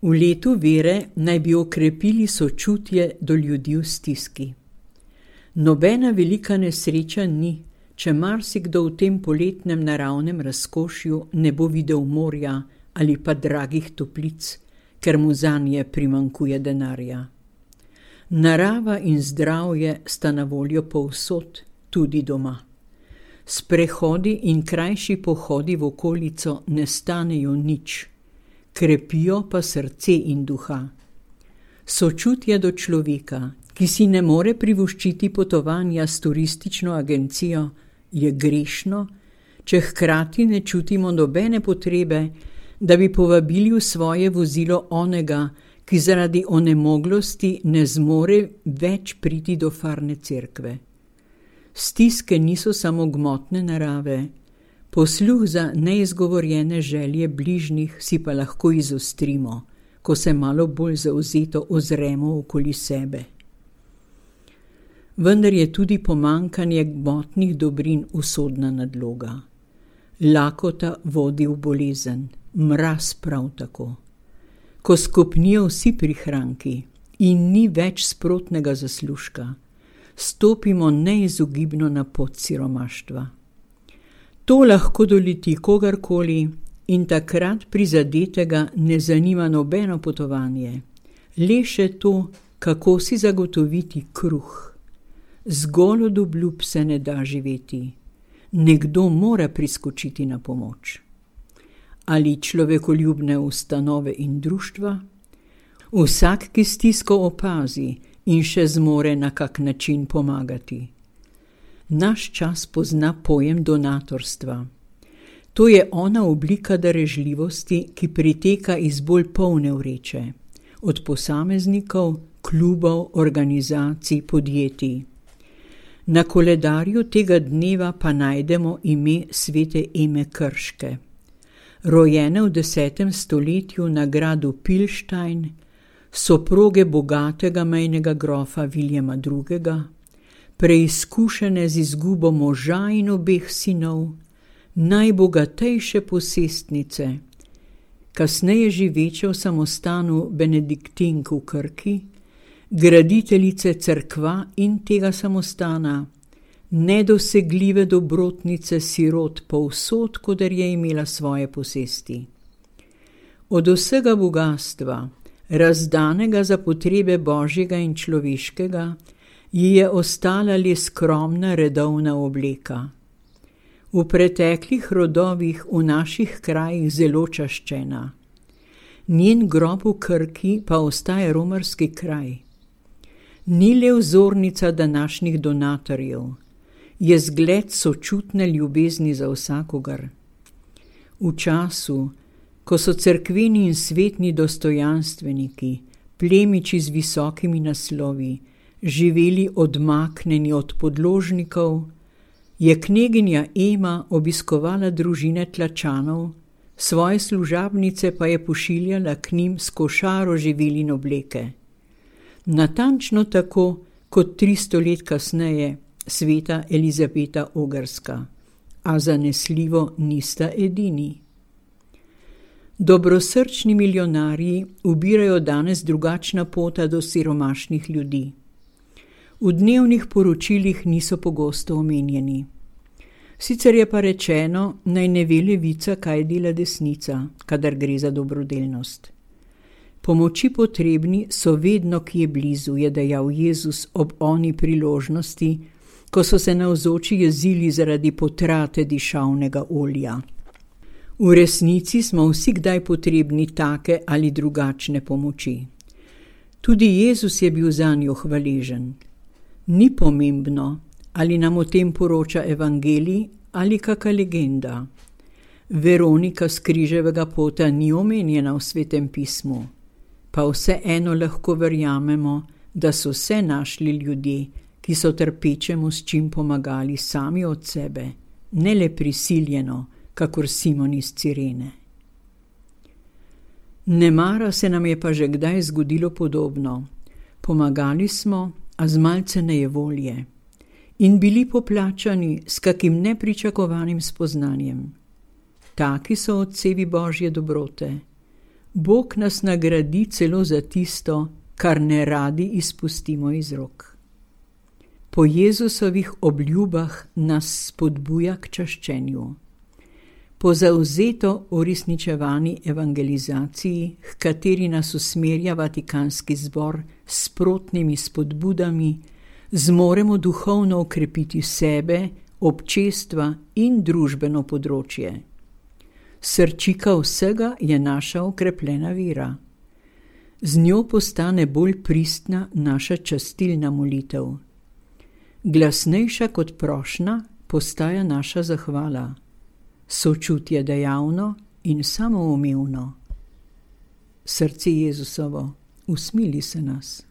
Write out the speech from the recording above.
V letu vere naj bi okrepili sočutje do ljudi v stiski. Nobena velika nesreča ni, če marsikdo v tem poletnem naravnem razkošju ne bo videl morja ali pa dragih toplic, ker mu zanje primanjkuje denarja. Narava in zdravje sta na voljo povsod, tudi doma. Sprehodi in krajši pohodi v okolico ne stanejo nič, krepijo pa srce in duha. Sočutje do človeka, ki si ne more privoščiti potovanja s turistično agencijo, je grešno, če hkrati ne čutimo nobene potrebe, da bi povabili v svoje vozilo onega, ki zaradi onemoglosti ne zmore več priti do farne cerkve. Stiske niso samo gmotne narave, posluh za neizgovorjene želje bližnjih si pa lahko izostrimo, ko se malo bolj zavzeto ozremo okoli sebe. Vendar je tudi pomanjkanje gmotnih dobrin usodna nadloga. Lakota vodi v bolezen, mraz prav tako. Ko skopnijo vsi prihranki in ni več sprotnega zaslužka, stopimo neizogibno na pot siromaštva. To lahko doleti kogarkoli in takrat prizadetega ne zanima nobeno potovanje, le še to, kako si zagotoviti kruh. Zgolj od obljub se ne da živeti. Nekdo mora priskočiti na pomoč. Ali človekoljubne ustanove in društva? Vsak, ki stisko opazi in še zmore na kak način pomagati. Naš čas pozna pojem donatorstva. To je ona oblika darežljivosti, ki priteka iz bolj polne vreče, od posameznikov, klubov, organizacij, podjetij. Na koledarju tega dneva pa najdemo ime svete Eme Krške. Rojene v 10. stoletju na gradu Pilštajn, soproge bogatega mejnega grofa Viljama II., preizkušene z izgubo moža in obeh sinov, najbogatejše posestnice, kasneje živeče v samostanu Benediktink v Krki, graditeljice cerkva in tega samostana, nedosegljive dobrotnice sirot povsod, koder je imela svoje posesti. Od vsega bogastva, razdanega za potrebe božjega in človeškega, ji je ostala le skromna redovna obleka. V preteklih rodovih v naših krajih zelo čaščena. Njen grob v Krki pa ostaja romarski kraj. Ni le vzornica današnjih donatorjev, je zgled sočutne ljubezni za vsakogar. V času, ko so cerkveni in svetni dostojanstveniki, plemiči z visokimi naslovi, živeli odmaknjeni od podložnikov, je kneginja Ema obiskovala družine Tlačanov, svoje služabnice pa je pošiljala k njim s košaro živil in obleke. Natančno tako kot 300 let kasneje sveta Elizabeta Ogrska, a zanesljivo nista edini. Dobrosrčni milijonarji ubirajo danes drugačna pota do siromašnih ljudi. V dnevnih poročilih niso pogosto omenjeni. Sicer je pa rečeno, naj ne ve levica, kaj dela desnica, kadar gre za dobrodelnost. Pomoči potrebni so vedno kje blizu, je dejal Jezus ob oni priložnosti, ko so se navzoči jezili zaradi potrate dišavnega olja. V resnici smo vsi kdaj potrebni take ali drugačne pomoči. Tudi Jezus je bil zanjo hvaležen. Ni pomembno, ali nam o tem poroča evangelij ali kaka legenda. Veronika s križevega pota ni omenjena v Svetem pismu, pa vseeno lahko verjamemo, da so se našli ljudje, ki so trpečemu s čim pomagali sami od sebe, ne le prisiljeno, kakor Simon iz Cirene. Nemara se nam je pa že kdaj zgodilo podobno. Pomagali smo, a z malce nejevolje, in bili poplačani s kakim nepričakovanim spoznanjem. Taki so odsevi Božje dobrote. Bog nas nagradi celo za tisto, kar ne radi izpustimo iz rok. Po Jezusovih obljubah nas spodbuja k čaščenju. Po zavzeto uresničevani evangelizaciji, h kateri nas usmerja Vatikanski zbor s sprotnimi spodbudami, zmoremo duhovno okrepiti sebe, občestva in družbeno področje. Srčika vsega je naša okrepljena vera. Z njo postane bolj pristna naša častilna molitev. Glasnejša kot prošnja postaja naša zahvala. Sočutje dejavno in samoumevno. Srce Jezusovo, usmili se nas.